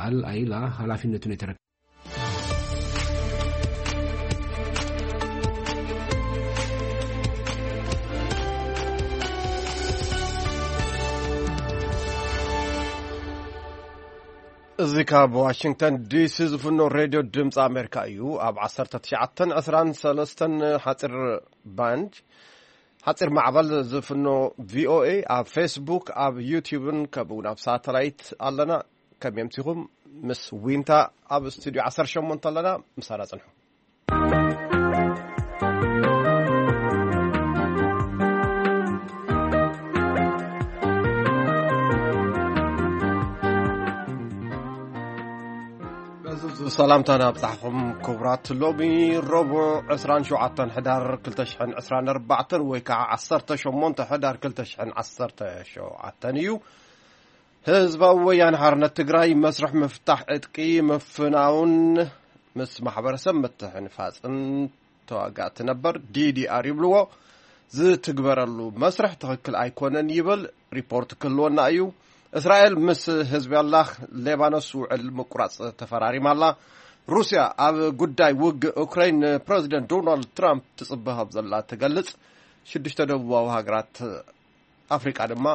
ኣል ኣይላ ሓላፊነቱን የተረከበ። እዚ ካብ ዋሽንግተን ዲሲ ዝፍኖ ሬድዮ ድምፂ ኣሜሪካ እዩ። ኣብ ዓሰርተ ትሽዓተን ዕስራን ሰለስተን ሓፂር ባንድ፣ ሓፂር ማዕበል ዝፍኖ ቪኦኤ ኣብ ፌስቡክ፣ ኣብ ዩቲዩብን ከምኡ እውን ኣብ ሳተላይት ኣለና። ከመይ ኣምሲኹም? ምስ ዊንታ ኣብ ስቱዲዮ ዓሰርተ ሸሞንተ ኣለና። ምሳና ጽንሑ። ሰላምታና ኣብጻሕኹም ክቡራት። ሎሚ ረቡዕ ዕስራን ሸውዓተን ሕዳር ክልተ ሽሕን ዕስራን ኣርባዕተን ወይ ከዓ ዓሰርተ ሸሞንተ ሕዳር ክልተ ሽሕን ዓሰርተ ሸውዓተን እዩ። ህዝባዊ ወያነ ሓርነት ትግራይ መስርሕ ምፍታሕ ዕጥቂ ምፍናውን ምስ ማሕበረሰብ ምትሕንፋፅን ተዋጋእቲ ነበር ዲዲኣር ይብልዎ ዝትግበረሉ መስርሕ ትኽክል ኣይኮነን ይብል። ሪፖርት ክህልወና እዩ። እስራኤል ምስ ህዝቢ ኣላህ ሌባኖስ ውዕል ምቁራፅ ተፈራሪማ ኣላ። ሩስያ ኣብ ጉዳይ ውግእ ኡክራይን ንፕረዚደንት ዶናልድ ትራምፕ ትፅበ ከም ዘላ ትገልፅ። ሽዱሽተ ደቡባዊ ሃገራት ኣፍሪቃ ድማ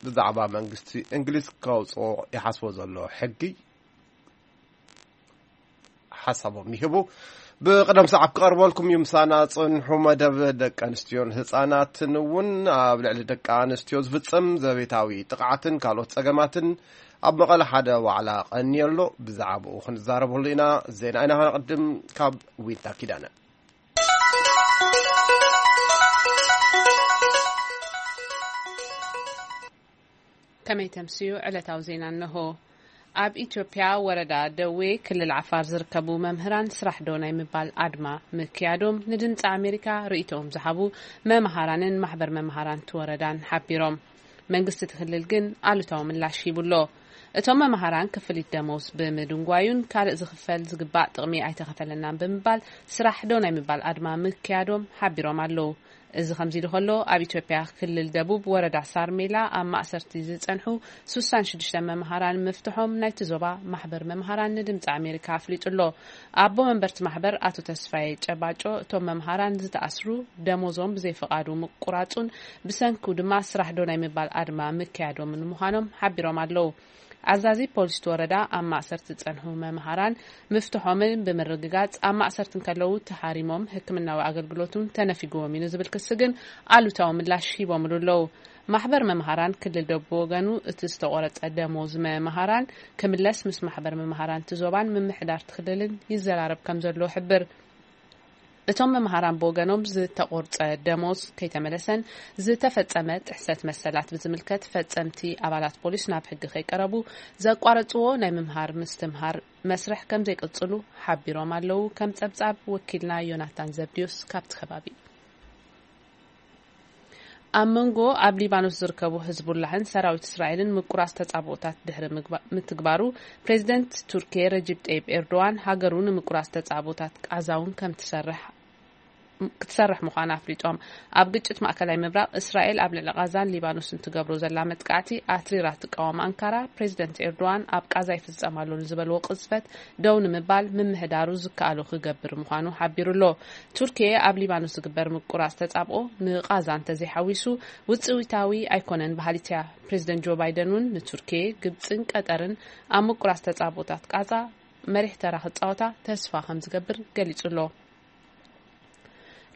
ብዛዕባ መንግስቲ እንግሊዝ ከውፅኦ ይሓስቦ ዘሎ ሕጊ ሓሳቦም ይህቡ። ብቕደም ሰዓብ ክቐርበልኩም እዩ። ምሳና ጽንሑ። መደብ ደቂ ኣንስትዮን ህጻናትን እውን ኣብ ልዕሊ ደቂ ኣንስትዮ ዝፍጸም ዘቤታዊ ጥቕዓትን ካልኦት ጸገማትን ኣብ መቐለ ሓደ ዋዕላ ቀንየሎ። ብዛዕባኡ ክንዛረበሉ ኢና። ዜና ኢና ከነቕድም ካብ ዊንታ ኪዳነ። ከመይ ተምስዩ? ዕለታዊ ዜና እነሆ። ኣብ ኢትዮጵያ ወረዳ ደዌ ክልል ዓፋር ዝርከቡ መምህራን ስራሕ ዶ ናይ ምባል ኣድማ ምክያዶም ንድምፂ ኣሜሪካ ርእይቶኦም ዝሃቡ መምሃራንን ማሕበር መምሃራን እቲ ወረዳን ሓቢሮም። መንግስቲ እቲ ክልል ግን ኣሉታዊ ምላሽ ሂቡ ኣሎ። እቶም መምሃራን ክፍሊት ደሞዝ ብምድንጓዩን ካልእ ዝኽፈል ዝግባእ ጥቕሚ ኣይተኸፈለናን ብምባል ስራሕ ዶ ናይ ምባል ኣድማ ምክያዶም ሓቢሮም ኣለዉ። እዚ ከምዚ ኢሉ ከሎ፣ ኣብ ኢትዮጵያ ክልል ደቡብ ወረዳ ሳርሜላ ኣብ ማእሰርቲ ዝጸንሑ ስሳን ሽዱሽተ መምሃራን ምፍትሖም ናይቲ ዞባ ማሕበር መምሃራን ንድምጺ ኣሜሪካ ኣፍሊጡ ኣሎ። ኣቦ መንበርቲ ማሕበር ኣቶ ተስፋዬ ጨባጮ፣ እቶም መምሃራን ዝተኣስሩ ደሞዞም ብዘይፍቓዱ ምቁራጹን ብሰንኩ ድማ ስራሕ ዶ ናይ ምባል ኣድማ ምክያዶምን ምዃኖም ሓቢሮም ኣለዉ። ኣዛዚ ፖሊስ እቲ ወረዳ ኣብ ማእሰርቲ ዝጸንሑ መምሃራን ምፍትሖምን ብምርግጋጽ፣ ኣብ ማእሰርቲ እንከለዉ ተሃሪሞም ሕክምናዊ ኣገልግሎት እውን ተነፊግዎም እዩ ንዝብል ክሲ ግን ኣሉታዊ ምላሽ ሂቦምሉ ኣለዉ። ማሕበር መምሃራን ክልል ደቡብ ብወገኑ፣ እቲ ዝተቖረጸ ደሞዝ መምሃራን ክምለስ ምስ ማሕበር መምሃራን እቲ ዞባን ምምሕዳር እቲ ክልልን ይዘራረብ ከም ዘሎ ይሕብር። እቶም መምሃራን ብወገኖም፣ ዝተቖርጸ ደሞዝ ከይተመለሰን ዝተፈጸመ ጥሕሰት መሰላት ብዝምልከት ፈጸምቲ ኣባላት ፖሊስ ናብ ሕጊ ከይቀረቡ፣ ዘቋረጽዎ ናይ ምምሃር ምስትምሃር መስርሕ ከም ዘይቅጽሉ ሓቢሮም ኣለዉ። ከም ጸብጻብ ወኪልና ዮናታን ዘብድዮስ ካብቲ ከባቢ። ኣብ መንጎ ኣብ ሊባኖስ ዝርከቡ ህዝቡላህን ሰራዊት እስራኤልን ምቁራጽ ተጻብኦታት ድሕሪ ምግባ-፣ ምትግባሩ፣ ፕሬዚደንት ቱርኪ ረጂብ ጠይብ ኤርዶዋን ሃገሩ ንምቁራጽ ተጻብኦታት ቃዛ እውን ከም ትሰርሕ፣ ክትሰርሕ ምዃና ኣፍሊጦም። ኣብ ግጭት ማእከላይ ምብራቕ፣ እስራኤል ኣብ ልዕሊ ቃዛን ሊባኖስን ትገብሮ ዘላ መጥቃዕቲ ኣትሪራ ትቃወም ኣንካራ፣ ፕሬዚደንት ኤርዶዋን ኣብ ቃዛ ይፍጸም ኣሎ ንዝበልዎ ቅዝፈት ደው ንምባል ምምሕዳሩ ዝከኣሎ ክገብር ምዃኑ ሓቢሩ ኣሎ። ቱርኪየ ኣብ ሊባኖስ ዝግበር ምቁራጽ ተጻብኦ ንቓዛ እንተዘይሓዊሱ ውጽኢታዊ ኣይኮነን በሃሊት እያ። ፕሬዚደንት ጆ ባይደን እውን ንቱርኪየ፣ ግብጽን ቀጠርን ኣብ ምቁራጽ ተጻብኦታት ቃዛ መሪሕ ተራ ክጻወታ ተስፋ ከም ዝገብር ገሊጹ ኣሎ።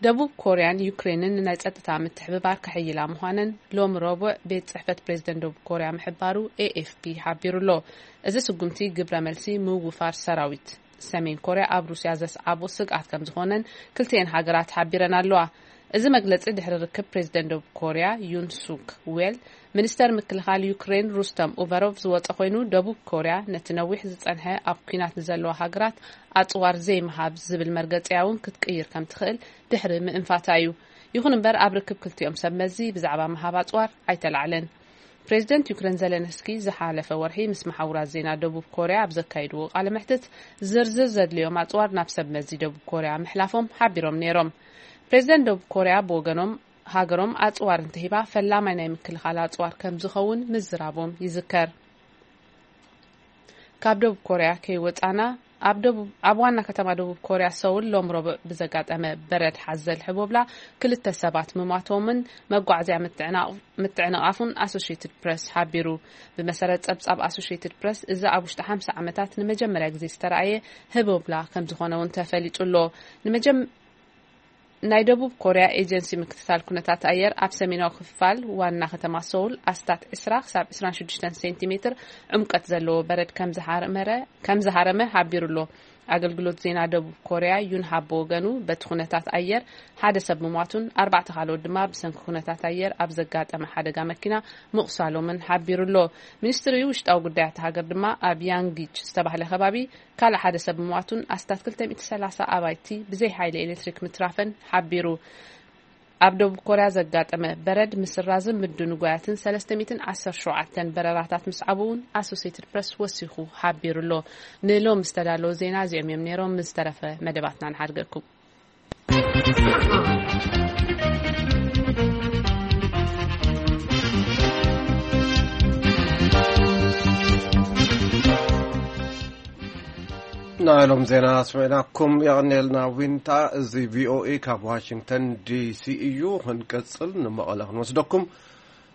ደቡብ ኮርያን ዩክሬንን ንናይ ጸጥታ ምትሕብባር ከሐይላ ምዃነን ሎሚ ረቡዕ ቤት ጽሕፈት ፕሬዚደንት ደቡብ ኮርያ ምሕባሩ ኤኤፍፒ ሓቢሩ ኣሎ። እዚ ስጉምቲ ግብረ መልሲ ምውፋር ሰራዊት ሰሜን ኮርያ ኣብ ሩስያ ዘስዓቦ ስግኣት ከም ዝኾነን ክልቲኤን ሃገራት ሓቢረን ኣለዋ። እዚ መግለጺ ድሕሪ ርክብ ፕሬዚደንት ደቡብ ኮርያ ዩን ሱክ ዌል፣ ሚኒስተር ምክልኻል ዩክሬን ሩስተም ኡቨሮቭ ዝወጸ ኮይኑ፣ ደቡብ ኮርያ ነቲ ነዊሕ ዝጸንሐ ኣብ ኲናት ንዘለዋ ሃገራት ኣጽዋር ዘይምሃብ ዝብል መርገጺኣ እውን ክትቅይር ከም ትኽእል ድሕሪ ምእንፋታ እዩ። ይኹን እምበር፣ ኣብ ርክብ ክልቲኦም ሰብ መዚ ብዛዕባ ምሃብ ኣጽዋር ኣይተላዕለን። ፕሬዚደንት ዩክሬን ዘለንስኪ ዝሓለፈ ወርሒ ምስ መሓውራት ዜና ደቡብ ኮርያ ኣብ ዘካይድዎ ቃለ መሕትት፣ ዝርዝር ዘድልዮም ኣጽዋር ናብ ሰብ መዚ ደቡብ ኮርያ ምሕላፎም ሓቢሮም ነይሮም። ፕሬዚደንት ደቡብ ኮርያ ብወገኖም፣ ሃገሮም ኣጽዋር እንተሂባ፣ ፈላማይ ናይ ምክልኻል ኣጽዋር ከም ዝኸውን ምዝራቦም ይዝከር። ካብ ደቡብ ኮርያ ከይወጻና፣ ኣብ ደቡብ፣ ኣብ ዋና ከተማ ደቡብ ኮርያ ሰውል ሎም ረቡዕ ብዘጋጠመ በረድ ሓዘል ሕቦብላ ክልተ ሰባት ምማቶምን መጓዓዝያ ምትዕናቕ-፣ ምትዕንቓፉን ኣሶሽየትድ ፕረስ ሓቢሩ። ብመሰረት ጸብጻብ ኣሶሽየትድ ፕረስ፣ እዚ ኣብ ውሽጢ ሓምሳ ዓመታት ንመጀመርያ ግዜ ዝተራእየ ህቦብላ ከም ዝኾነ እውን ተፈሊጡ ኣሎ። ንመጀም-፣ ናይ ደቡብ ኮርያ ኤጀንሲ ምክትታል ኩነታት ኣየር፣ ኣብ ሰሜናዊ ክፋል ዋና ከተማ ሰውል ኣስታት ዕስራ ክሳብ ዕስራን ሽዱሽተን ሴንቲሜትር ዕምቀት ዘለዎ በረድ ከም ዝሃረመረ-፣ ከም ዝሃረመ ሓቢሩ ኣሎ። ኣገልግሎት ዜና ደቡብ ኮርያ ዩንሃብ ብወገኑ፣ በቲ ኩነታት ኣየር ሓደ ሰብ ምሟቱን ኣርባዕተ ካልኦት ድማ ብሰንኪ ኩነታት ኣየር ኣብ ዘጋጠመ ሓደጋ መኪና ምቑሳሎምን ሓቢሩ ኣሎ። ሚኒስትሪ ውሽጣዊ ጉዳያት ሃገር ድማ፣ ኣብ ያንጊች ዝተባህለ ከባቢ ካልእ ሓደ ሰብ ምሟቱን ኣስታት ክልተ ሚእቲ ሰላሳ ኣባይቲ ብዘይ ሓይሊ ኤሌክትሪክ ምትራፈን ሓቢሩ። ኣብ ደቡብ ኮርያ ዘጋጠመ በረድ ምስራዝን ምድንጓያትን ሰለስተ ሚእትን ዓሰርተ ሸውዓተን በረራታት ምስዓቡ እውን ኣሶሴትድ ፕረስ ወሲኹ ሓቢሩ ኣሎ። ንሎም ዝተዳለዉ ዜና እዚኦም እዮም ነይሮም። ምስ ተረፈ መደባትና ንሓድገኩም። ናይ ሎም ዜና ስሚዕናኩም የቐንየልና። ዊንታ፣ እዚ ቪ ኦ ኤ ካብ ዋሽንግተን ዲ ሲ እዩ። ክንቅጽል ንመቐለ ክንወስደኩም።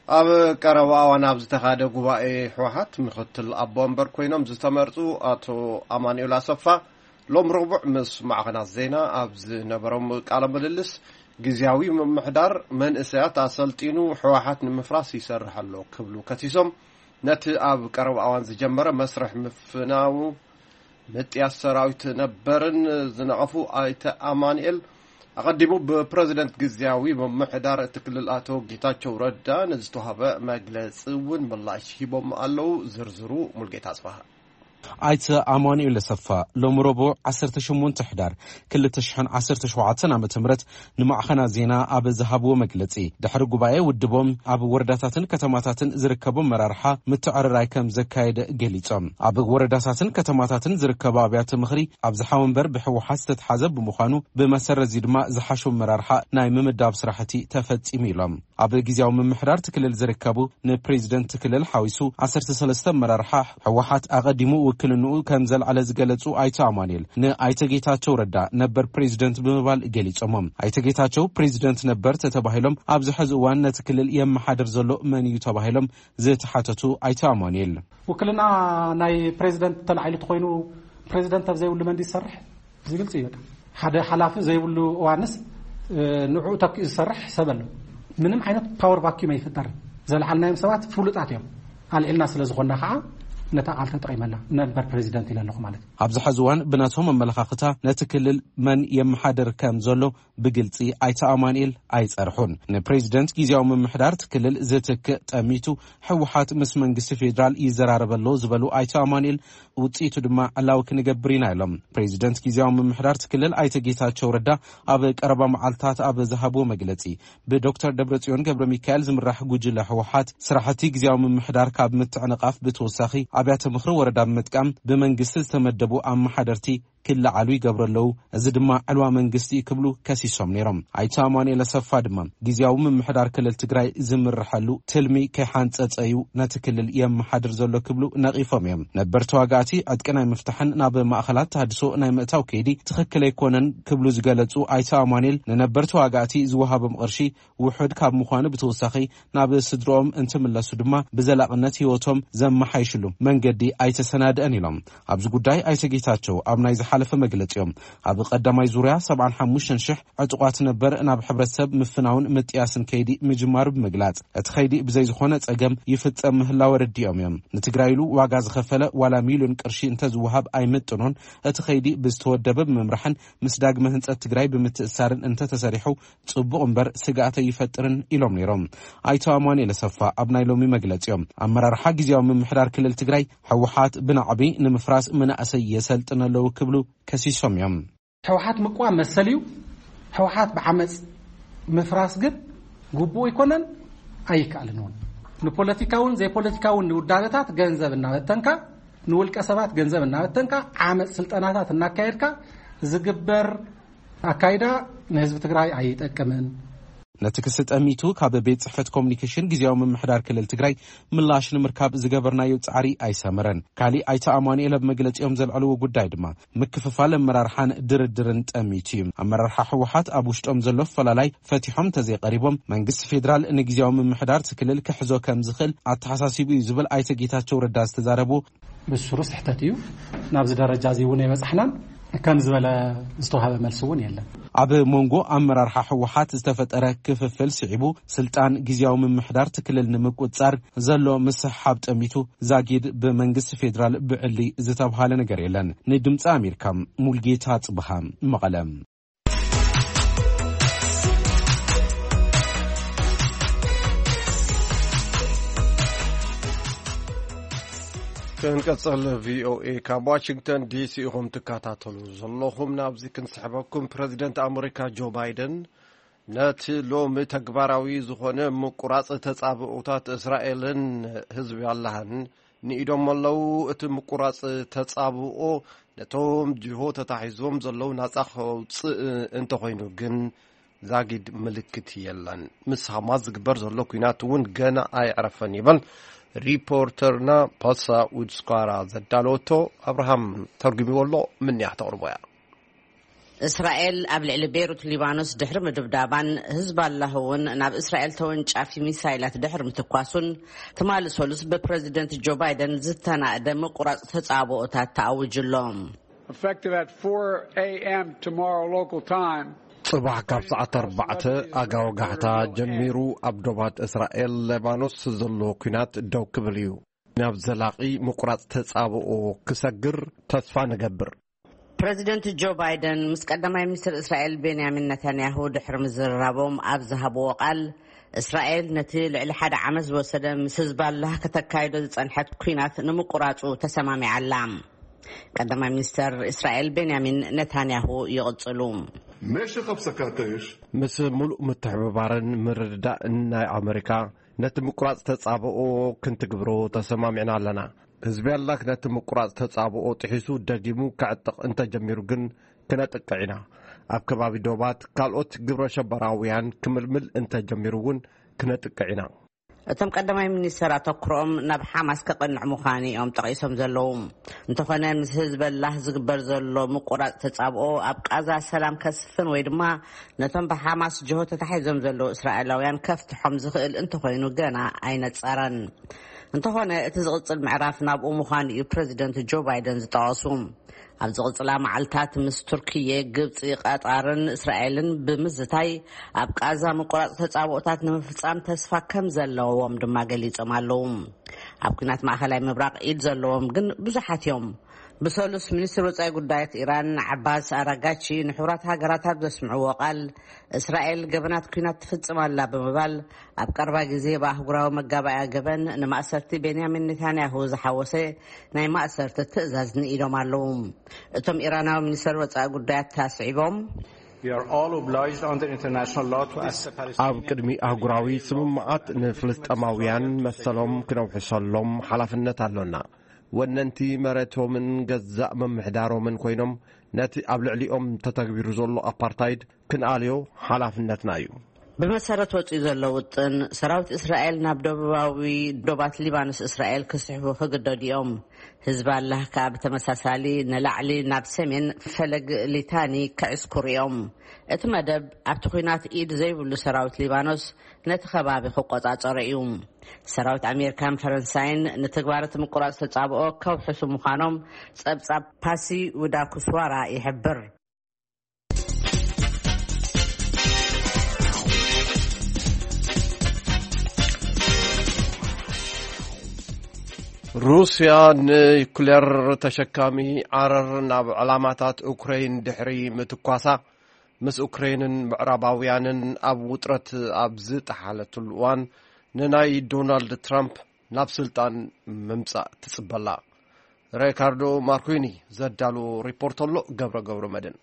ኣብ ቀረባ እዋን ኣብ ዝተኻደ ጉባኤ ህወሓት ምክትል ኣቦ ወንበር ኮይኖም ዝተመርጹ ኣቶ ኣማኑኤል ኣሰፋ፣ ሎም ረቡዕ ምስ ማዕኸናት ዜና ኣብ ዝነበሮም ቃለ ምልልስ፣ ግዝያዊ ምምሕዳር መንእሰያት ኣሰልጢኑ ህወሓት ንምፍራስ ይሰርሕ ኣሎ ክብሉ ከሲሶም፣ ነቲ ኣብ ቀረባ እዋን ዝጀመረ መስርሕ ምፍናው ምጥያስ ሰራዊት ነበርን ዝነቐፉ ኣይተ ኣማኑኤል፣ ኣቐዲሙ ብፕረዚደንት ግዝያዊ ምምሕዳር እቲ ክልል ኣቶ ጌታቸው ረዳ ንዝተዋህበ መግለጺ እውን ምላሽ ሂቦም ኣለዉ። ዝርዝሩ ሙልጌታ ኣጽበሃ። ኣይተ ኣማኑኤል ኣሰፋ ሎም ረቡዕ ዓሰርተ ሸሞንተ ሕዳር ክልተ ሽሕን ዓሰርተ ሸውዓተን ዓመተ ምህረት ንማዕኸናት ዜና ኣብ ዝሃብዎ መግለጺ፣ ድሕሪ ጉባኤ ውድቦም ኣብ ወረዳታትን ከተማታትን ዝርከቡ ኣመራርሓ ምትዕርራይ ከም ዘካየደ ገሊጾም። ኣብ ወረዳታትን ከተማታትን ዝርከቡ ኣብያተ ምኽሪ ኣብዝሓ ወንበር ብህወሓት ዝተትሓዘ ብምዃኑ፣ ብመሰረት እዚ ድማ ዝሓሸ ኣመራርሓ ናይ ምምዳብ ስራሕቲ ተፈጺሙ ኢሎም። ኣብ ግዝያዊ ምምሕዳር እቲ ክልል ዝርከቡ ንፕሬዚደንት ክልል ሓዊሱ ዓሰርተ ሰለስተ ኣመራርሓ ህወሓት ኣቐዲሙ ውክልንኡ ከም ዘልዓለ ዝገለጹ ኣይተ ኣማኑኤል፣ ንኣይተ ጌታቸው ረዳ ነበር ፕሬዚደንት ብምባል ገሊጾሞም። ኣይተ ጌታቸው ፕሬዚደንት ነበር ተተባሂሎም ኣብዚ ሕዚ እዋን ነቲ ክልል የመሓድር ዘሎ መን እዩ ተባሂሎም ዝተሓተቱ ኣይተ ኣማኑኤል፣ ውክልና ናይ ፕሬዚደንት ተላዒሉ ተኾይኑ፣ ፕሬዚደንት ኣብ ዘይብሉ መን ዝሰርሕ? እዚ ግልጺ እዩ። በቃ ሓደ ሓላፊ ዘይብሉ እዋንስ፣ እ፣ ንዕኡ ተኪኡ ዝሰርሕ ሰብ ኣሎ። ምንም ዓይነት ፓወር ቫኪዩም ኣይፍጠርን። ዘልዓልናዮም ሰባት ፍሉጣት እዮም። ኣልዒልና ስለ ዝኾንና ከዓ ነታ ቃል ተጠቒመላ፣ ነበር ፕሬዚደንት ኢለ ኣለኹ ማለት እዩ። ኣብዚ ሕዚ እዋን ብናቶም ኣመለኻኽታ ነቲ ክልል መን የመሓድር ከም ዘሎ ብግልጺ ኣይተ ኣማኑኤል ኣይጸርሑን። ንፕሬዚደንት ግዝያዊ ምምሕዳር እቲ ክልል ዝትክእ ጠሚቱ ህወሓት ምስ መንግስቲ ፌዴራል ይዘራረብ ኣሎ ዝበሉ ኣይተ ኣማኑኤል፣ ውጽኢቱ ድማ ዕላዊ ክንገብር ኢና ኢሎም። ፕሬዚደንት ግዝያዊ ምምሕዳር እቲ ክልል ኣይተ ጌታቸው ረዳ ኣብ ቀረባ መዓልታት ኣብ ዝሃብዎ መግለጺ፣ ብዶክተር ደብረጽዮን ገብረ ሚካኤል ዝምራሕ ጉጅለ ህወሓት ስራሕቲ ግዝያዊ ምምሕዳር ካብ ምትዕንቓፍ ብተወሳኺ ኣብያተ ምኽሪ ወረዳ ብምጥቃም ብመንግስቲ ዝተመደቡ ኣመሓደርቲ ክለዓሉ ይገብሩ ኣለዉ። እዚ ድማ ዕልዋ መንግስቲ እዩ ክብሉ ከሲሶም ነይሮም። ኣይተ ኣማኑኤል ኣሰፋ ድማ ግዝያዊ ምምሕዳር ክልል ትግራይ ዝምርሐሉ ትልሚ ከይሓንጸጸ እዩ ነቲ ክልል የመሓድር ዘሎ ክብሉ ነቒፎም እዮም። ነበር ተዋጋእቲ ዕጥቂ ናይ ምፍታሕን ናብ ማእኸላት ተሃድሶ ናይ ምእታው ከይዲ ትኽክል ኣይኮነን ክብሉ ዝገለጹ ኣይተ ኣማኑኤል፣ ንነበር ተዋጋእቲ ዝወሃቦም ቅርሺ ውሑድ ካብ ምዃኑ ብተወሳኺ፣ ናብ ስድሮኦም እንትምለሱ ድማ ብዘላቕነት ህይወቶም ዘመሓይሽሉ መንገዲ ኣይተሰናድአን ኢሎም። ኣብዚ ጉዳይ ኣይተ ጌታቸው ኣብ ናይ ዝሓለፈ መግለጺኦም፣ ኣብ ቀዳማይ ዙርያ ሰብዓን ሓሙሽተን ሽሕ ዕጡቓት ነበር ናብ ሕብረተሰብ ምፍናውን ምጥያስን ከይዲ ምጅማሩ ብምግላጽ፣ እቲ ከይዲ ብዘይ ዝኾነ ጸገም ይፍጸም ምህላው ኣረዲኦም እዮም። ንትግራይ ኢሉ ዋጋ ዝኸፈለ ዋላ ሚልዮን ቅርሺ እንተዝወሃብ ኣይምጥኖን፣ እቲ ከይዲ ብዝተወደበ ብምምራሕን ምስ ዳግመ ህንጸት ትግራይ ብምትእሳርን እንተተሰሪሑ ጽቡቕ እምበር ስግኣት ኣይፈጥርን ኢሎም ነይሮም። ኣይተ ኣማኑኤል ኣሰፋ ኣብ ናይ ሎሚ መግለጺኦም፣ ኣመራርሓ ግዝያዊ ምምሕዳር ክልል ትግራይ ህወሓት ብናዕቢ ንምፍራስ መናእሰይ የሰልጥን ኣለዉ ክብሉ ከሲሶም እዮም። ህወሓት ምቋም መሰል እዩ። ህወሓት ብዓመፅ ምፍራስ ግን ግቡእ ኣይኮነን፣ ኣይከኣልን እውን። ንፖለቲካውን ዘይፖለቲካውን ውዳበታት ገንዘብ እናበተንካ፣ ንውልቀ ሰባት ገንዘብ እናበተንካ፣ ዓመፅ ስልጠናታት እናካየድካ ዝግበር ኣካይዳ ንህዝቢ ትግራይ ኣይጠቅምን። ነቲ ክሲ ጠሚቱ ካብ ቤት ጽሕፈት ኮሙኒኬሽን ግዜያዊ ምምሕዳር ክልል ትግራይ ምላሽ ንምርካብ ዝገበርናዮ ጻዕሪ ኣይሰመረን። ካሊእ ኣይተ ኣማኑኤል ኣብ መግለጺኦም ዘልዐልዎ ጉዳይ ድማ ምክፍፋል ኣመራርሓን ድርድርን ጠሚቱ እዩ። ኣመራርሓ ህወሓት ኣብ ውሽጦም ዘሎ ፈላላይ ፈቲሖም እንተዘይቀሪቦም መንግስቲ ፌዴራል ንግዜያዊ ምምሕዳር እቲ ክልል ክሕዞ ከም ዝኽእል ኣተሓሳሲቡ እዩ ዝብል ኣይተ ጌታቸው ረዳ ዝተዛረቡ ብስሩ ስሕተት እዩ። ናብዚ ደረጃ እዚ እውን ኣይበጻሕናን። ከም ዝበለ ዝተዋሃበ መልሲ እውን የለን። ኣብ መንጎ ኣመራርሓ ህወሓት ዝተፈጠረ ክፍፍል ስዒቡ ስልጣን ግዜያዊ ምምሕዳር እቲ ክልል ንምቁጽጻር ዘሎ ምስሕሓብ ጠሚቱ ዛጊድ ብመንግስቲ ፌዴራል ብዕሊ ዝተብሃለ ነገር የለን። ንድምፂ ኣሜሪካ ሙልጌታ ጽብሃ መቐለ። ክንቀጽል፣ ቪኦኤ ካብ ዋሽንግተን ዲሲ ኢኹም ትከታተሉ ዘለኹም። ናብዚ ክንስሕበኩም፣ ፕረዚደንት ኣመሪካ ጆ ባይደን ነቲ ሎሚ ተግባራዊ ዝኾነ ምቁራጽ ተጻብኦታት እስራኤልን ህዝቢ ኣላህን ንኢዶም ኣለዉ። እቲ ምቁራጽ ተጻብኦ ነቶም ጅሆ ተታሒዞም ዘለዉ ናጻ ከውጽእ እንተኾይኑ ግን ዛጊድ ምልክት የለን። ምስ ሃማስ ዝግበር ዘሎ ኲናት እውን ገና ኣይዕረፈን ይብል ሪፖርተርና ፓሳ ውድስኳራ ዘዳለወቶ። ኣብርሃም ተርጉሚዎ ኣሎ፣ ምንያ ተቕርቦ እያ። እስራኤል ኣብ ልዕሊ ቤይሩት ሊባኖስ ድሕሪ ምድብዳባን ህዝባላህ እውን ናብ እስራኤል ተወንጫፊ ሚሳይላት ድሕሪ ምትኳሱን ትማሊ ሰሉስ ብፕረዚደንት ጆ ባይደን ዝተናእደ ምቁራጽ ተጻብኦታት ተኣዊጁ ኣሎ። Effective at four a.m. tomorrow local time. ጽባሕ ካብ ሰዓት ኣርባዕተ ኣጋ ወጋሕታ ጀሚሩ ኣብ ዶባት እስራኤል ሌባኖስ ዘሎ ኲናት ደው ክብል እዩ። ናብ ዘላቒ ምቁራጽ ተጻብኦ ክሰግር ተስፋ ንገብር። ፕረዚደንት ጆ ባይደን ምስ ቀዳማይ ሚኒስትር እስራኤል ቤንያሚን ነታንያሁ ድሕሪ ምዝርራቦም ኣብ ዝሃብዎ ቃል፣ እስራኤል ነቲ ልዕሊ ሓደ ዓመት ዝወሰደ ምስ ህዝባላህ ከተካይዶ ዝጸንሐት ኲናት ንምቁራጹ ተሰማሚዓ ኣላ። ቀዳማይ ሚኒስተር እስራኤል ቤንያሚን ነታንያሁ ይቕጽሉ። משך הפסקת האש ምስ ምሉእ ምትሕብባርን ምርድዳእን ናይ ኣመሪካ፣ ነቲ ምቁራጽ ተጻብኦ ክንትግብሮ ተሰማሚዕና ኣለና። ህዝቢ ኣላክ ነቲ ምቁራጽ ተጻብኦ ጥሒሱ ደጊሙ ክዕጥቕ እንተጀሚሩ ግን ክነጥቅዕ ኢና። ኣብ ከባቢ ዶባት ካልኦት ግብረ ሸበራውያን ክምልምል እንተጀሚሩ እውን ክነጥቅዕ ኢና። እቶም ቀዳማይ ሚኒስተር ኣተኩሮኦም ናብ ሓማስ ከቕንዕ ምዃኑ እዮም ጠቒሶም ዘለዉ። እንተኾነ፣ ምስ ህዝበላህ ዝግበር ዘሎ ምቁራጽ ተጻብኦ ኣብ ቃዛ ሰላም ከስፍን ወይ ድማ ነቶም ብሓማስ ጅሆ ተታሒዞም ዘለዉ እስራኤላውያን ከፍትሖም ዝኽእል እንተኾይኑ ገና ኣይነጸረን። እንተኾነ፣ እቲ ዝቕጽል ምዕራፍ ናብኡ ምዃኑ እዩ ፕረዚደንት ጆ ባይደን ዝጠቐሱ። ኣብ ዝቕጽላ መዓልታት ምስ ቱርክየ፣ ግብጺ፣ ቐጣርን እስራኤልን ብምዝታይ ኣብ ቃዛ ምቁራጽ ተጻብኦታት ንምፍጻም ተስፋ ከም ዘለዎም ድማ ገሊጾም ኣለዉ። ኣብ ኲናት ማእከላይ ምብራቕ ኢድ ዘለዎም ግን ብዙሓት እዮም። ብሰሉስ ሚኒስትር ወጻኢ ጉዳያት ኢራን ዓባስ ኣራጋቺ ንሕቡራት ሃገራት ኣብ ዘስምዕዎ ቃል፣ እስራኤል ገበናት ኲናት ትፍጽም ኣላ ብምባል፣ ኣብ ቀረባ ግዜ ብኣህጉራዊ መጋባእያ ገበን ንማእሰርቲ ቤንያሚን ኔታንያሁ ዝሓወሰ ናይ ማእሰርቲ ትእዛዝ ንኢዶም ኣለዉ። እቶም ኢራናዊ ሚኒስተር ወጻኢ ጉዳያት ኣስዒቦም፣ We are all obliged under international law to assist ኣብ ቅድሚ ኣህጉራዊ ስምምዓት ንፍልስጤማውያን መሰሎም ክነውሕሰሎም ሓላፍነት ኣሎና። ወነንቲ መሬቶምን ገዛእ ምምሕዳሮምን ኮይኖም ነቲ ኣብ ልዕሊኦም ተተግቢሩ ዘሎ ኣፓርታይድ ክንኣልዮ ሓላፍነትና እዩ። ብመሰረት ወጺኡ ዘሎ ውጥን፣ ሰራዊት እስራኤል ናብ ደቡባዊ ዶባት ሊባኖስ እስራኤል ክስሕቡ ክግደዱ እዮም። ህዝባላህ ከኣ ብተመሳሳሊ ንላዕሊ ናብ ሰሜን ፈለግ ሊታኒ ክዕስኩሩ እዮም። እቲ መደብ ኣብቲ ኲናት ኢድ ዘይብሉ ሰራዊት ሊባኖስ ነቲ ከባቢ ክቆጻጸሮ እዩ። ሰራዊት ኣሜሪካን ፈረንሳይን ንትግባረ እቲ ምቁራጽ ተጻብኦ ከውሕሱ ምዃኖም ጸብጻብ ፓሲ ውዳኩስዋራ ይሕብር። ሩስያ ኒኩሌር ተሸካሚ ዓረር ናብ ዕላማታት ኡክረይን ድሕሪ ምትኳሳ፣ ምስ ኡክረይንን ምዕራባውያንን ኣብ ውጥረት ኣብ ዝጠሓለትሉ እዋን፣ ንናይ ዶናልድ ትራምፕ ናብ ስልጣን ምምጻእ ትጽበላ። ሪካርዶ ማርኩኒ ዘዳሉ ሪፖርት ኣሎ፣ ገብረ ገብረ መድን።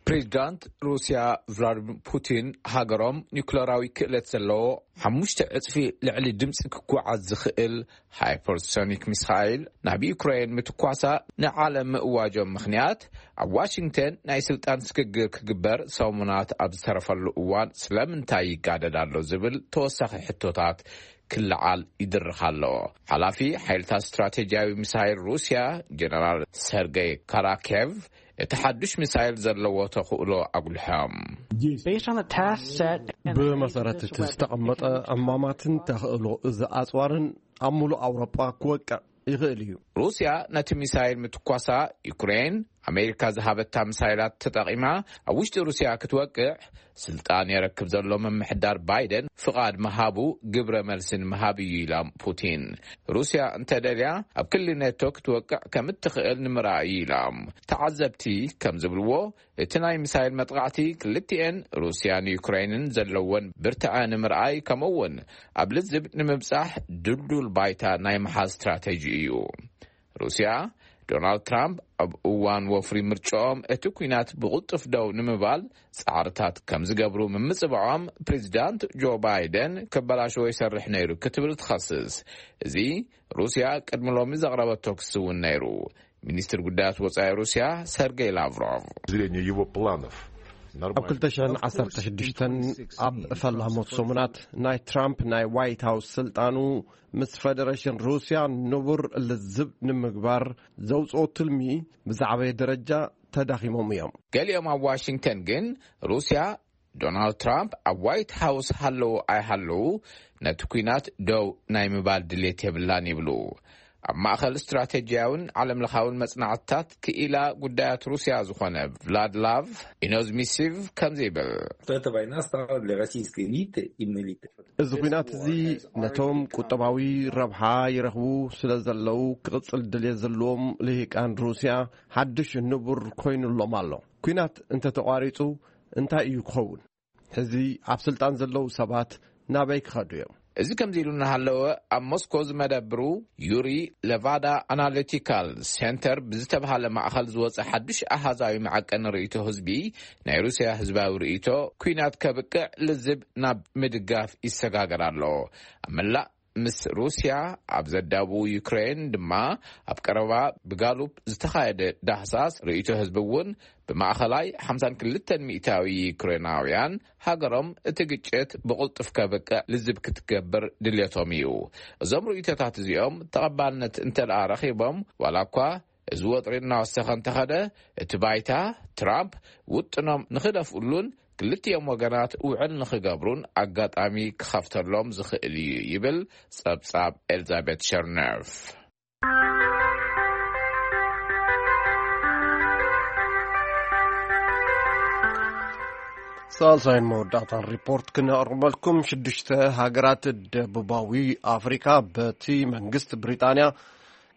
ፕሬዚዳንት ሩስያ ቭላዲሚር ፑቲን፣ ሃገሮም ኒውክለራዊ ክእለት ዘለዎ ሓሙሽተ ዕጽፊ ልዕሊ ድምፂ ክጓዓዝ ዝኽእል ሃይፐርሶኒክ ሚሳይል ናብ ዩክሬን ምትኳሳ ንዓለም ምእዋጆም ምኽንያት፣ ኣብ ዋሽንግተን ናይ ስልጣን ስግግር ክግበር ሰሙናት ኣብ ዝተረፈሉ እዋን ስለምንታይ ይጋደድ ኣሎ ዝብል ተወሳኺ ሕቶታት ክለዓል ይድርኽ ኣሎ። ሓላፊ ሓይልታት ስትራቴጂያዊ ሚሳይል ሩስያ ጀነራል ሰርጌይ ካራኬቭ፣ እቲ ሓዱሽ ሚሳይል ዘለዎ ተኽእሎ ኣጉልሖም። Based on the task set and the ብመሰረት እቲ ዝተቐመጠ ዕማማትን ተኽእሎ እዚ ኣፅዋርን ኣብ ሙሉእ ኣውሮጳ ክወቅዕ ይኽእል እዩ። ሩስያ ነቲ ሚሳይል ምትኳሳ፣ ዩክሬን ኣሜሪካ ዝሃበታ ሚሳይላት ተጠቒማ ኣብ ውሽጢ ሩስያ ክትወቅዕ ስልጣን የረክብ ዘሎ ምምሕዳር ባይደን ፍቓድ ምሃቡ ግብረ መልሲ ንምሃብ እዩ ኢሎም ፑቲን። ሩስያ እንተደልያ ኣብ ክሊ ኔቶ ክትወቅዕ ከም እትኽእል ንምርኣይ እዩ ኢሎም። ተዓዘብቲ ከም ዝብልዎ፣ እቲ ናይ ሚሳይል መጥቓዕቲ ክልቲኤን ሩስያን ዩክሬንን ዘለወን ብርትዐ ንምርኣይ፣ ከምኡ እውን ኣብ ልዝብ ንምብጻሕ ድልዱል ባይታ ናይ ምሓዝ ስትራተጂ እዩ። ሩስያ፣ ዶናልድ ትራምፕ ኣብ እዋን ወፍሪ ምርጫኦም እቲ ኲናት ብቕልጡፍ ደው ንምባል ጻዕርታት ከም ዝገብሩ ምምጽባዖም፣ ፕሬዚዳንት ጆ ባይደን ከበላሽዎ ይሰርሕ ነይሩ ክትብል ትኸስስ። እዚ ሩስያ ቅድሚ ሎሚ ዘቕረበቶ ክሲ እውን ነይሩ። ሚኒስትር ጉዳያት ወጻኢ ሩስያ ሰርጌይ ላቭሮቭ። Зрение его планов. ኣብ ክልተ ሽሕን ዓሰርተ ሽዱሽተን ኣብ ፈላሞት ሰሙናት ናይ ትራምፕ ናይ ዋይት ሃውስ ስልጣኑ ምስ ፈደረሽን ሩስያ ንቡር ልዝብ ንምግባር ዘውፅኦ ትልሚ ብዛዕበየ ደረጃ ተዳኺሞም እዮም። ገሊኦም ኣብ ዋሽንግተን ግን፣ ሩስያ ዶናልድ ትራምፕ ኣብ ዋይት ሃውስ ሃለዉ ኣይሃለዉ ነቲ ኲናት ደው ናይ ምባል ድሌት የብላን ይብሉ። ኣብ ማእኸል ስትራቴጂያውን ዓለምለኻውን መጽናዕትታት ክኢላ ጉዳያት ሩስያ ዝኾነ ቭላድላቭ ኢኖዝሚሲቭ ከምዚ ይብል። Что эта война стала для российской элиты, именно элиты. እዚ ኲናት እዚ ነቶም ቁጠባዊ ረብሓ ይረኽቡ ስለ ዘለዉ ክቕጽል ድልየት ዘለዎም ልሂቃን ሩስያ ሓድሽ ንቡር ኮይኑሎም ኣሎ። ኲናት እንተተቋሪጹ እንታይ እዩ ክኸውን? ሕዚ ኣብ ስልጣን ዘለዉ ሰባት ናበይ ክኸዱ እዮም? እዚ ከምዚ ኢሉ እናሃለወ፣ ኣብ ሞስኮ ዝመደብሩ ዩሪ ለቫዳ ኣናሊቲካል ሴንተር ብዝተብሃለ ማእኸል ዝወፀ ሓዱሽ ኣሃዛዊ መዐቀኒ ርእይቶ ህዝቢ፣ ናይ ሩስያ ህዝባዊ ርእይቶ፣ ኲናት ከብቅዕ ልዝብ ናብ ምድጋፍ ይሰጋገር ኣሎ። ኣብ መላእ ምስ ሩስያ ኣብ ዘዳቡ ዩክሬን ድማ ኣብ ቀረባ ብጋሉፕ ዝተኻየደ ዳህሳስ ርእይቶ ህዝቢ እውን ብማእኸላይ ሓምሳን ክልተን ሚእታዊ ዩክሬናውያን ሃገሮም እቲ ግጭት ብቕልጡፍ ከብቅዕ ልዝብ ክትገብር ድልየቶም እዩ። እዞም ርእይቶታት እዚኦም ተቐባልነት እንተደኣ ረኺቦም፣ ዋላ እኳ እዚ ወጥሪ እናወሰኸ እንተኸደ፣ እቲ ባይታ ትራምፕ ውጥኖም ንኽደፍኡሉን ክልቲኦም ወገናት ውዕል ንኽገብሩን ኣጋጣሚ ክኸፍተሎም ዝኽእል እዩ ይብል ጸብጻብ ኤልዛቤት ሸርነፍ። ሳልሳይን መወዳእታን ሪፖርት ክነቕርበልኩም። ሽዱሽተ ሃገራት ደቡባዊ ኣፍሪካ በቲ መንግስቲ ብሪጣንያ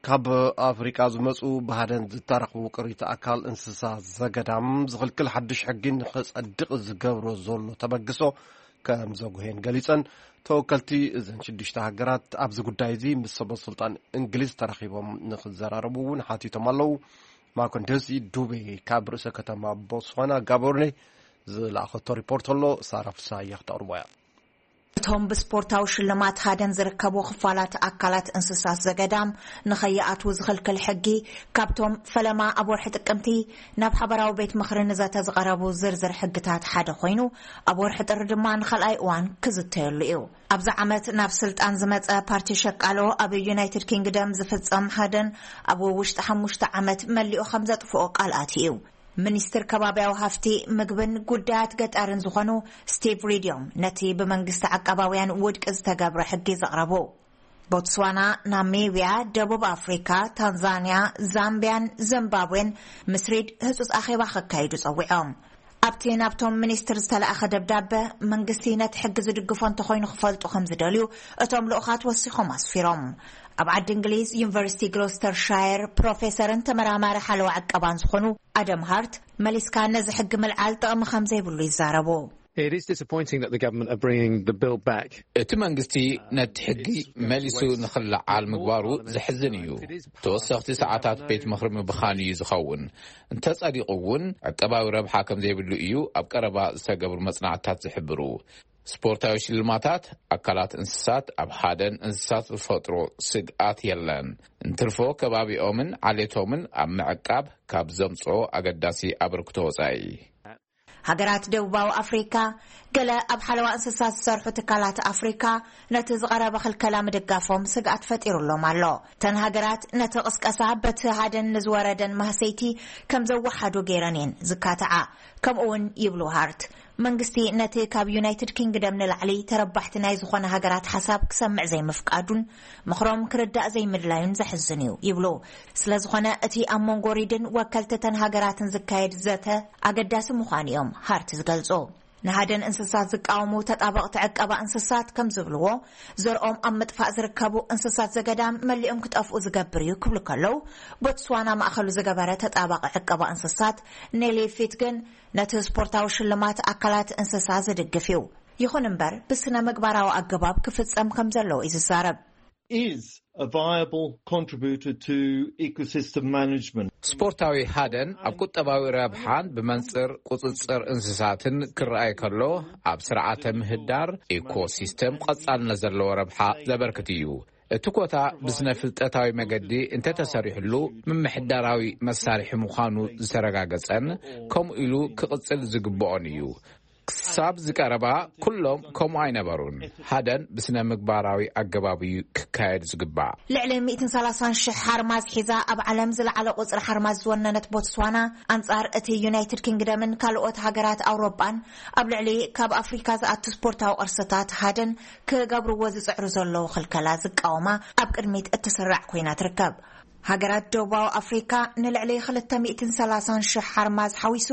ካብ ኣፍሪቃ ዝመፁ ብሃደን ዝተረኽቡ ቅሪተ ኣካል እንስሳ ዘገዳም ዝኽልክል ሓድሽ ሕጊ ንኽፀድቕ ዝገብሮ ዘሎ ተበግሶ ከም ዘጉሄን ገሊፀን። ተወከልቲ እዘን ሽዱሽተ ሃገራት ኣብዚ ጉዳይ እዚ ምስ ሰበ ስልጣን እንግሊዝ ተራኺቦም ንኽዘራረቡ እውን ሓቲቶም ኣለዉ። ማኮንደሲ ዱቤ ካብ ርእሰ ከተማ ቦትስዋና ጋቦርኔ ዝለኣኸቶ ሪፖርት ኣሎ። ሳራ ፍሳያ ክተቕርቦ እያ። እቶም ብስፖርታዊ ሽልማት ሃደን ዝርከቡ ክፋላት ኣካላት እንስሳት ዘገዳም ንኸይኣትዉ ዝኽልክል ሕጊ፣ ካብቶም ፈለማ ኣብ ወርሒ ጥቅምቲ ናብ ሓበራዊ ቤት ምኽሪ ንዘተ ዝቐረቡ ዝርዝር ሕግታት ሓደ ኮይኑ፣ ኣብ ወርሒ ጥሪ ድማ ንኻልኣይ እዋን ክዝተየሉ እዩ። ኣብዚ ዓመት ናብ ስልጣን ዝመጸ ፓርቲ ሸቃሎ ኣብ ዩናይትድ ኪንግደም ዝፍጸም ሃደን ኣብ ውሽጢ ሓሙሽተ ዓመት መሊኡ ከም ዘጥፍኦ ቃል ኣትዩ እዩ። ሚኒስትር ከባብያዊ ሃፍቲ፣ ምግብን ጉዳያት ገጠርን ዝኾኑ ስቲቭ ሪድ እዮም ነቲ ብመንግስቲ ዓቃባውያን ውድቂ ዝተገብረ ሕጊ ዘቕረቡ። ቦትስዋና፣ ናሚብያ፣ ደቡብ ኣፍሪካ፣ ታንዛንያ፣ ዛምቢያን ዚምባብዌን ምስ ሪድ ህጹጽ ኣኼባ ከካይዱ ጸዊዖም። ኣብቲ ናብቶም ሚኒስትር ዝተለኣኸ ደብዳበ፣ መንግስቲ ነቲ ሕጊ ዝድግፎ እንተኾይኑ ክፈልጡ ከም ዝደልዩ እቶም ልኡኻት ወሲኾም ኣስፊሮም። ኣብ ዓዲ እንግሊዝ ዩኒቨርሲቲ ግሎስተርሻየር ፕሮፌሰርን ተመራማሪ ሓለዋ ዕቀባን ዝኾኑ ኣደም ሃርት፣ መሊስካ ነዚ ሕጊ ምልዓል ጥቕሚ ከም ዘይብሉ ይዛረቡ። It is disappointing that the government are bringing the bill back. እቲ መንግስቲ ነቲ ሕጊ መሊሱ ንኽለዓል ምግባሩ ዘሕዝን እዩ። ተወሰኽቲ ሰዓታት ቤት ምኽሪ ምብኻን እዩ ዝኸውን። እንተጸዲቑ እውን ዕቀባዊ ረብሓ ከም ዘይብሉ እዩ ኣብ ቀረባ ዝተገብሩ መጽናዕትታት ዝሕብሩ። ስፖርታዊ ሽልማታት ኣካላት እንስሳት ኣብ ሓደን እንስሳት ዝፈጥሮ ስግኣት የለን። እንትርፎ ከባቢኦምን ዓሌቶምን ኣብ ምዕቃብ ካብ ዘምጽኦ ኣገዳሲ ኣበርክቶ ወጻኢ። ሃገራት ደቡባዊ ኣፍሪካ፣ ገለ ኣብ ሓለዋ እንስሳት ዝሰርሑ ትካላት ኣፍሪካ ነቲ ዝቐረበ ክልከላ ምድጋፎም ስግኣት ፈጢሩሎም ኣሎ። እተን ሃገራት ነቲ ቅስቀሳ በቲ ሃደን ንዝወረደን ማህሰይቲ ከም ዘወሓዱ ገይረን እየን ዝካትዓ። ከምኡ እውን ይብሉ ሃርት፣ መንግስቲ ነቲ ካብ ዩናይትድ ኪንግደም ንላዕሊ ተረባሕቲ ናይ ዝኾነ ሃገራት ሓሳብ ክሰምዕ ዘይምፍቃዱን ምኽሮም ክርዳእ ዘይምድላዩን ዘሕዝን እዩ ይብሉ። ስለ ዝኾነ እቲ ኣብ መንጎ ሪድን ወከልቲ እተን ሃገራትን ዝካየድ ዘተ ኣገዳሲ ምዃኑ እዮም ሃርት ዝገልጹ። ንሃደን እንስሳት ዝቃወሙ ተጣበቕቲ ዕቀባ እንስሳት ከም ዝብልዎ፣ ዘርኦም ኣብ ምጥፋእ ዝርከቡ እንስሳት ዘገዳም መሊኦም ክጠፍኡ ዝገብር እዩ ክብሉ ከለዉ፣ ቦትስዋና ማእኸሉ ዝገበረ ተጣባቒ ዕቀባ እንስሳት ኔሊ ፊት ግን ነቲ ስፖርታዊ ሽልማት ኣካላት እንስሳ ዝድግፍ እዩ። ይኹን እምበር ብስነ ምግባራዊ ኣገባብ ክፍጸም ከም ዘለዎ እዩ ዝዛረብ። Is a viable contributor to ecosystem management. ስፖርታዊ ሃደን ኣብ ቁጠባዊ ረብሓን ብመንጽር ቁጽጽር እንስሳትን ክረኣይ ከሎ፣ ኣብ ስርዓተ ምህዳር ኢኮሲስተም ቀጻልነት ዘለዎ ረብሓ ዘበርክት እዩ። እቲ ኮታ ብስነ ፍልጠታዊ መገዲ እንተተሰሪሕሉ ምምሕዳራዊ መሳርሒ ምዃኑ ዝተረጋገጸን ከምኡ ኢሉ ክቕጽል ዝግብኦን እዩ። ክሳብ ዝቀረባ ኩሎም ከምኡ ኣይነበሩን። ሃደን ብስነ ምግባራዊ ኣገባብ እዩ ክካየድ ዝግባእ። ልዕሊ ሚእትን ሰላሳን ሽሕ ሓርማዝ ሒዛ ኣብ ዓለም ዝለዓለ ቁጽሪ ሓርማዝ ዝወነነት ቦትስዋና፣ ኣንጻር እቲ ዩናይትድ ኪንግደምን ካልኦት ሃገራት ኣውሮጳን ኣብ ልዕሊ ካብ ኣፍሪካ ዝኣቱ ስፖርታዊ ቅርስታት ሃደን ክገብርዎ ዝጽዕሩ ዘለዉ ክልከላ ዝቃወማ ኣብ ቅድሚት እትስራዕ ኮይና ትርከብ። ሃገራት ደቡባዊ ኣፍሪካ ንልዕሊ ክልተ ሚእትን ሰላሳን ሽሕ ሓርማዝ ሓዊሱ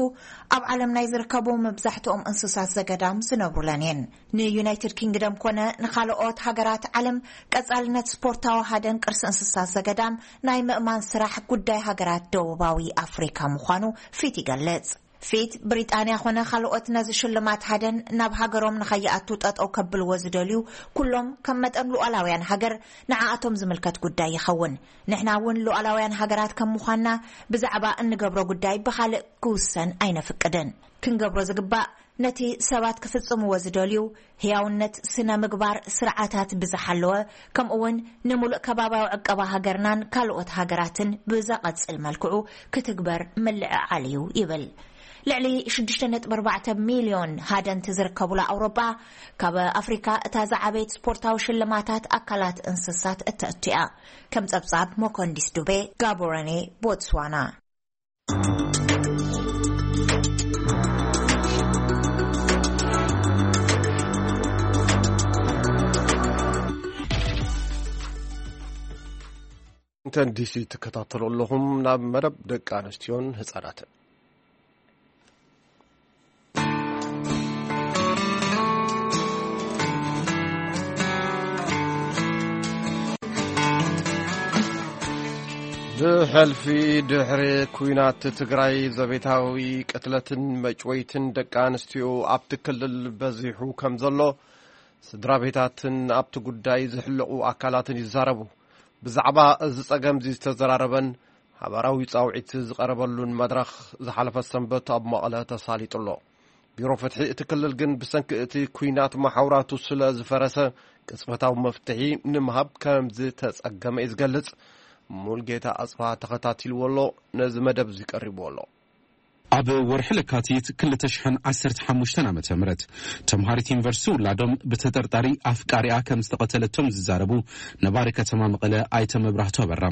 ኣብ ዓለም ናይ ዝርከቡ መብዛሕትኦም እንስሳት ዘገዳም ዝነብሩለን እየን። ንዩናይትድ ኪንግደም ኮነ ንኻልኦት ሃገራት ዓለም ቀጻልነት ስፖርታዊ ሃደን ቅርሲ እንስሳት ዘገዳም ናይ ምእማን ስራሕ ጉዳይ ሃገራት ደቡባዊ ኣፍሪካ ምዃኑ ፊት ይገልጽ። ፊት ብሪጣንያ ኾነ ካልኦት ነዚ ሽልማት ሃደን ናብ ሃገሮም ንኸይኣቱ ጠጠው ከብልዎ ዝደልዩ ኩሎም ከም መጠን ሉዓላውያን ሃገር ንዓኣቶም ዝምልከት ጉዳይ ይኸውን። ንሕና እውን ሉዓላውያን ሃገራት ከም ምዃንና ብዛዕባ እንገብሮ ጉዳይ ብኻልእ ክውሰን ኣይነፍቅድን። ክንገብሮ ዝግባእ ነቲ ሰባት ክፍጽምዎ ዝደልዩ ህያውነት ስነ ምግባር ስርዓታት ብዝሓለወ፣ ከምኡ እውን ንምሉእ ከባባዊ ዕቀባ ሃገርናን ካልኦት ሃገራትን ብዘቐጽል መልክዑ ክትግበር ምልዕዓል እዩ ይብል። ልዕሊ ሽዱሽተ ነጥቢ ኣርባዕተ ሚልዮን ሃደንቲ ዝርከቡላ ኣውሮጳ፣ ካብ ኣፍሪካ እታ ዝዓበየት ስፖርታዊ ሽልማታት ኣካላት እንስሳት እተእቱ እያ። ከም ጸብጻብ ሞኮንዲስ ዱቤ፣ ጋቦረኔ፣ ቦትስዋና። ዋሽንግተን ዲሲ ትከታተሉ ኣለኹም። ናብ መደብ ደቂ ኣንስትዮን ህጻናትን። ብሕልፊ ድሕሪ ኲናት ትግራይ ዘቤታዊ ቅትለትን መጭወይትን ደቂ ኣንስትዮ ኣብቲ ክልል በዚሑ ከም ዘሎ ስድራ ቤታትን ኣብቲ ጉዳይ ዝሕለቑ ኣካላትን ይዛረቡ። ብዛዕባ እዚ ጸገምዚ ዝተዘራረበን ሓባራዊ ጻውዒት ዝቐረበሉን መድረኽ ዝሓለፈ ሰንበት ኣብ መቐለ ተሳሊጡ ኣሎ። ቢሮ ፍትሒ እቲ ክልል ግን ብሰንኪ እቲ ኲናት መሓውራቱ ስለ ዝፈረሰ ቅጽበታዊ መፍትሒ ንምሃብ ከም ዝተጸገመ እዩ ዝገልጽ። ሙልጌታ ኣጽብሃ ተኸታቲልዎ ኣሎ። ነዚ መደብ እዚ ቀሪብዎ ኣሎ። ኣብ ወርሒ ለካቲት ክልተ ሽሕን ዓሰርተ ሓሙሽተን ዓመተ ምህረት ተምሃሪት ዩኒቨርሲቲ ውላዶም ብተጠርጣሪ ኣፍቃሪኣ ከም ዝተቐተለቶም ዝዛረቡ ነባሪ ከተማ መቐለ ኣይተ መብራህቱ ኣበራ፣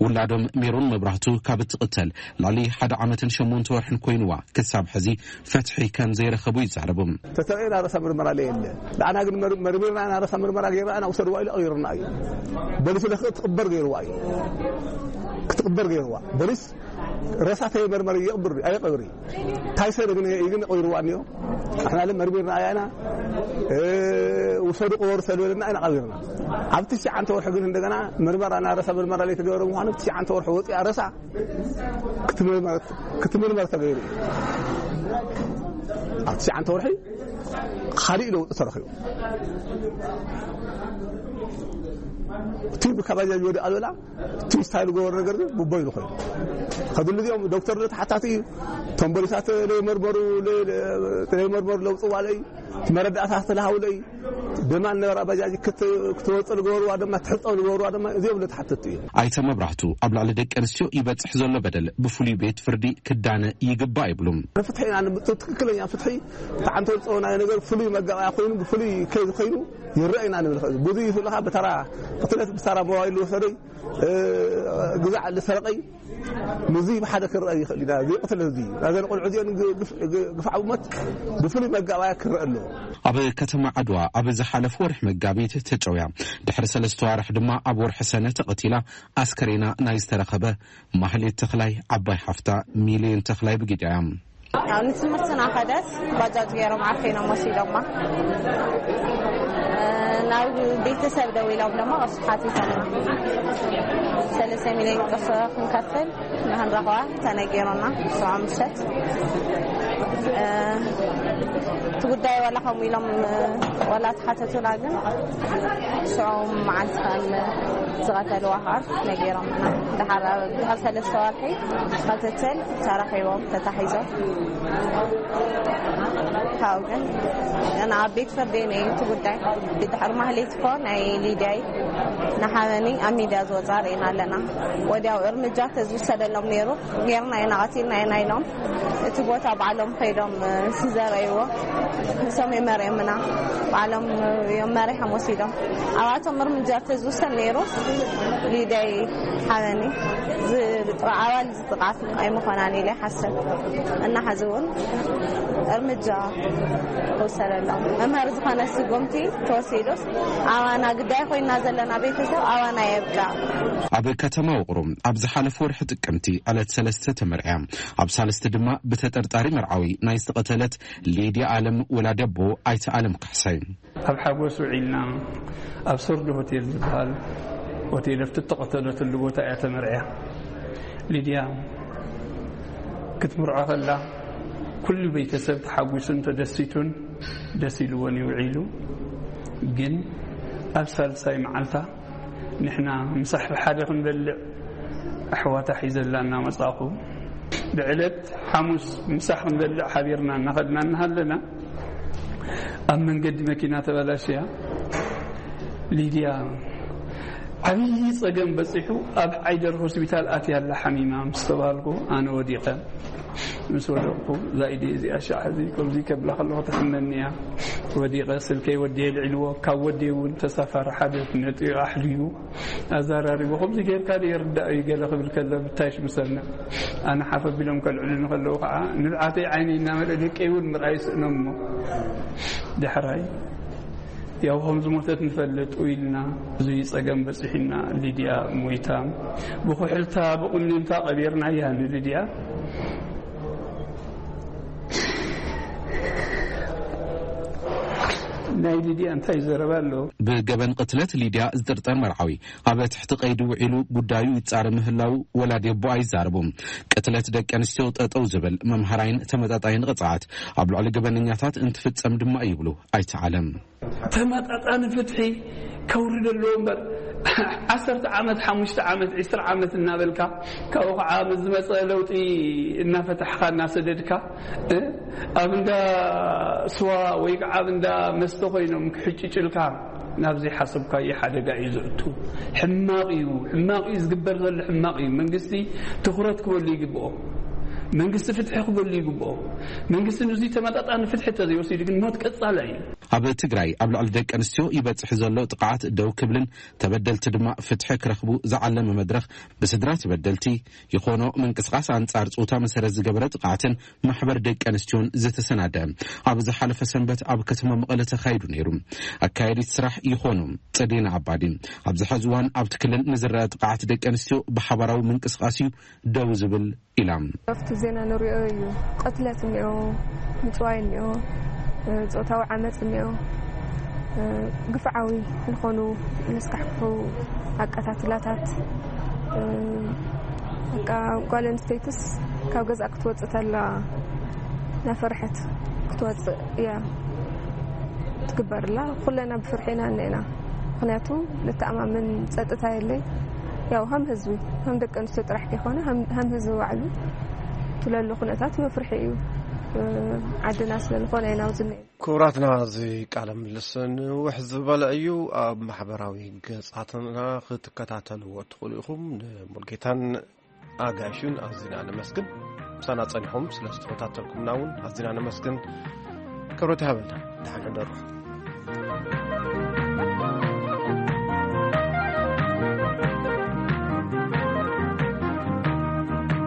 ውላዶም ሜሮን መብራህቱ ካብ እትቕተል ልዕሊ ሓደ ዓመትን ሸሞንተ ወርሕን ኮይንዋ ክሳብ ሕዚ ፍትሒ ከም ዘይረኸቡ ይዛረቡ። ተተርእየና ርእሳ ምርመራ ለየለ ንዓና ግን መር- መርሚርና ኢና ርእሳ ምርመራ ገይርና ኢና ውሰድዋ ኢሉ ኣቕይርና እዩ። በሊስ ለክ ክትቕበር ገይርዋ እዩ ክትቕበር ገይርዋ በሊስ ረሳ ተይመርመር ይቕብር እዩ ኣይቐብር እዩ። እንታይ ሰሪ ግን እዩ ግን ቀይርዋ እኒኦ ንሕና ለ መርሚርና እያ ኢና ውሰዱ ቅበሩ ሰልበልና ኢና ቀቢርና። ኣብ ትሽዓንተ ወርሒ ግን እንደገና ምርመራ እናረሳ ምርመራ ለይተገበረ ምዃኑ ትሽዓንተ ወርሒ ወፂኣ ረሳ ክትምርመር ተገይሩ እዩ። ኣብ ትሽዓተ ወርሒ ካሊእ ለውጢ ተረኺቡ። እቲ ብካባጃጅ ወደ ኣልበላ እቲ ስታይል ገበሩ ነገር ግን ብቦይሉ ኮይኑ ከድሉ እዚኦም ዶክተር ተሓታቲ እዩ። ተንበሪታት ለይመርመሩ ለይመርመሩ ለውፅዋለይ መረዳእታ ተለሃውለይ ደማ ነበራ ባጃጅ ክትወፅእ ዝገበርዋ ድማ ትሕፀብ ዝገበርዋ ድማ እዚኦም ለተሓተቱ እዮም። ኣይተ መብራህቱ ኣብ ልዕሊ ደቂ ኣንስትዮ ይበፅሕ ዘሎ በደል ብፍሉይ ቤት ፍርዲ ክዳነ ይግባእ ይብሉ። ንፍትሒ ኢና ትክክለኛ ፍትሒ ተዓንተው ዝፀወናዮ ነገር ፍሉይ መጋባያ ኮይኑ ብፍሉይ ከይ ዝኮይኑ ይረአ ኢና ንብል ብዙ ይፍልካ ብተራ ቅትለት ብተራ ሞባይል ዝወሰደይ ግዛዕ ዝሰረቀይ ምዚ ብሓደ ክረአ ይኽእል ኢና። እዚ ቅትለት እዚ ናዘን ቆልዑ እዚአን ግፍዓዊ ሞት ብፍሉይ መጋባያ ክረአ ኣለዎ። ኣብ ከተማ ዓድዋ ኣብ ዝሓለፉ ወርሒ መጋቢት ተጨውያ ድሕሪ ሰለስተ ዋርሕ ድማ ኣብ ወርሒ ሰነ ተቐቲላ ኣስከሬና ናይ ዝተረኸበ ማህሌት ተኽላይ ዓባይ ሓፍታ ሚልዮን ተኽላይ ብጊዳ እያ። ንትምህርትና ከደት ባጃጅ ገይሮም ዓርከይኖም ወሲዶማ ናብ ቤተሰብ ደው ኢሎም ድማ ቅርሺ ሓቲቶምና ሰለስተ ሚልዮን ቅርሺ ክንከፍል ንክንረኽባ ተነጊሮና ስዓ ምሸት እቲ ጉዳይ ዋላ ከምኡ ኢሎም ዋላ ተሓተቱና ግን ስዑ መዓልቲ ከም ዝቐተልዋ ከዓ ነጊሮምና። ድሓር ሰለስተ ወርሒ ክትትል ተረኺቦም ተታሒዞም ካብኡ ግን እና ኣብ ቤት ፍርዲ ነይ እቲ ጉዳይ ድሕር ማህሌት ኮ ናይ ሊድያይ ንሓበኒ ኣብ ሚድያ ዝወፃ ርኢና ኣለና። ወዲያው እርምጃ ተዝውሰደሎም ነይሩ ጌርና ኢና ቀቲልና ኢና ኢሎም እቲ ቦታ ባዕሎም ከይዶም ስዘረይዎ ንሶም የመርየምና ባዕሎም እዮም መሪሖም ወሲዶም ኣብኣቶም እርምጃ ተዝውሰድ ነይሩ ሊድያይ ሓበኒ ኣባል ዝጥቃት ኣይምኾናን ኢለ ሓሰብ እናሓዚ እውን እርምጃ ተወሰደሎም መምህር ዝኾነ ስጉምቲ ተወሲዱስ ኣባና ግዳይ ኮይና ዘለና ቤተሰብ ኣባና የብቃ። ኣብ ከተማ ውቕሮ ኣብ ዝሓለፈ ወርሒ ጥቅምቲ ዕለት ሰለስተ ተመርዕያ ኣብ ሳልስቲ ድማ ብተጠርጣሪ መርዓዊ ናይ ዝተቐተለት ሊድያ ኣለም ወላደቦ ኣይተ ኣለም ካሕሳይ ኣብ ሓጎስ ውዒልና ኣብ ሰርዶ ሆቴል ዝበሃል ሆቴል ኣብቲ እተቐተለትሉ ቦታ እያ ተመርዕያ። ሊድያ ክትምርዖ ከላ ኩሉ ቤተሰብ ተሓጒሱን ተደሲቱን ደስ ኢልዎን እዩ ውዒሉ። ግን ኣብ ሳልሳይ መዓልታ ንሕና ምሳሕ ብሓደ ክንበልዕ ኣሕዋታ ሒዘላ እናመጻኹ ብዕለት ሓሙስ ምሳሕ ክንበልዕ ሓቢርና እናኸድና እናሃለና ኣብ መንገዲ መኪና ተበላሽያ ሊድያ ዓብዪ ጸገም በጺሑ ኣብ ዓይደር ሆስፒታል ኣትያ ኣላ ሓሚማ ምስ ተባልኩ ኣነ ወዲቐ ምስ ወደቕኩ እዛ ኢደይ እዚኣ ሻዕ እዚ ከምዚ ከብላ ከለኹ ትሕመኒ እያ። ወዲቐ ስልከይ ወዲ የልዒልዎ ካብ ወዲ እውን ተሳፋሪ ሓደ ነጢኡ ኣሕልዩ ኣዛራሪቡ ከምዚ ጌርካ ዶ ይርዳእ እዩ ገለ ክብል ከሎ ብታይሽ ምሰምዕ ኣነ ሓፍ ኣቢሎም ከልዕሉኒ ከለዉ ከዓ ንብዓተይ ዓይነይ እናመልአ ደቀይ እውን ምርኣይ ይስእኖም እሞ ዳሕራይ ያው ከም ዝሞተት ንፈልጥ ኢልና ብዙይ ጸገም በጺሑና ሊድያ ሞይታ ብኩሕልታ ብቁኒንታ ቀቢርናያ ንሊድያ ናይ ሊድያ እንታይ ዘረባ ኣሎ? ብገበን ቅትለት ሊድያ ዝጥርጠር መርዓዊ ኣብ ትሕቲ ቀይዲ ውዒሉ ጉዳዩ ይጻረ ምህላው ወላዲ ኣቦ ኣይዛረቡ። ቅትለት ደቂ ኣንስትዮ ጠጠው ዝብል መምሃራይን ተመጣጣይን ቅጽዓት ኣብ ልዕሊ ገበነኛታት እንትፍጸም ድማ ይብሉ ኣይተዓለም። ተመጣጣኒ ፍትሒ ከውርድ ኣለዎ እምበር ዓሰርተ ዓመት ሓሙሽተ ዓመት ዕስራ ዓመት እናበልካ ካብኡ ከዓ ምስ ዝመፀ ለውጢ እናፈታሕካ እናሰደድካ እ፣ ኣብ እንዳ ስዋ ወይ ከዓ ኣብ እንዳ መስተ ኮይኖም ክሕጭጭልካ ናብ ዘይሓሰብካዮ ሓደጋ እዩ ዘእቱ። ሕማቕ እዩ፣ ሕማቕ እዩ ዝግበር ዘሎ ሕማቕ እዩ። መንግስቲ ትኹረት ክበሉ ይግብኦ። መንግስቲ ፍትሒ ክበሉ ይግብኦ። መንግስቲ ንዙይ ተመጣጣኒ ፍትሒ ተዘይወሲዱ ግን ሞት ቀጻላይ እዩ። ኣብ ትግራይ ኣብ ልዕሊ ደቂ ኣንስትዮ ይበፅሕ ዘሎ ጥቕዓት ደው ክብልን ተበደልቲ ድማ ፍትሒ ክረኽቡ ዝዓለመ መድረኽ ብስድራ ተበደልቲ ይኾኖ ምንቅስቓስ ኣንጻር ጾታ መሰረት ዝገበረ ጥቕዓትን ማሕበር ደቂ ኣንስትዮን ዝተሰናደ ኣብ ዝሓለፈ ሰንበት ኣብ ከተማ መቐለ ተኻይዱ ነይሩ። ኣካየዲት ስራሕ ይኾኑ ጽዴና ኣባዲ ኣብዚ ሕዚ እዋን ኣብቲ ክልል ንዝረአ ጥቕዓት ደቂ ኣንስትዮ ብሓባራዊ ምንቅስቓስ እዩ ደው ዝብል ኢላ። ኣብቲ ዜና ንሪኦ እዩ። ቅትለት እኒኦ፣ ምጭዋይ እኒኦ፣ እ፣ ጾታዊ ዓመጽ እኒኦ፣ እ፣ ግፍዓዊ ዝኾኑ ዘስካሕክሑ ኣቀታትላታት፣ እ፣ በቃ ጓል ኣንስተይትስ ካብ ገዛ ክትወጽእ ተላ ናፈርሐት ክትወፅእ እያ ትግበርላ። ኩለና ብፍርሒ ኢና እኒአና። ምክንያቱ ንተኣማመን ጸጥታ የለይ። ያው ከም ህዝቢ፣ ከም ደቂ ኣንስትዮ ጥራሕ ከይኮነ፣ ከም ከም ህዝቢ ባዕሉ ትለሉ ኩነታት መፍርሒ እዩ። ዓድና ስለ ዝኾነ ኢና ኣብዚ እኒአና። ክቡራትና፣ እዚ ቃለ ምልልስ ንውሕ ዝበለ እዩ። ኣብ ማሕበራዊ ገጻትና ክትከታተልዎ ትኽእሉ ኢኹም። ንሙልጌታን ኣጋይሹን ኣዚና ነመስግን። ምሳና ጸኒሖም ስለ ዝተኸታተልኩምና እውን ኣዚና ነመስግን። ክብረት ይሃበልና። ደሓን ሕደሩ።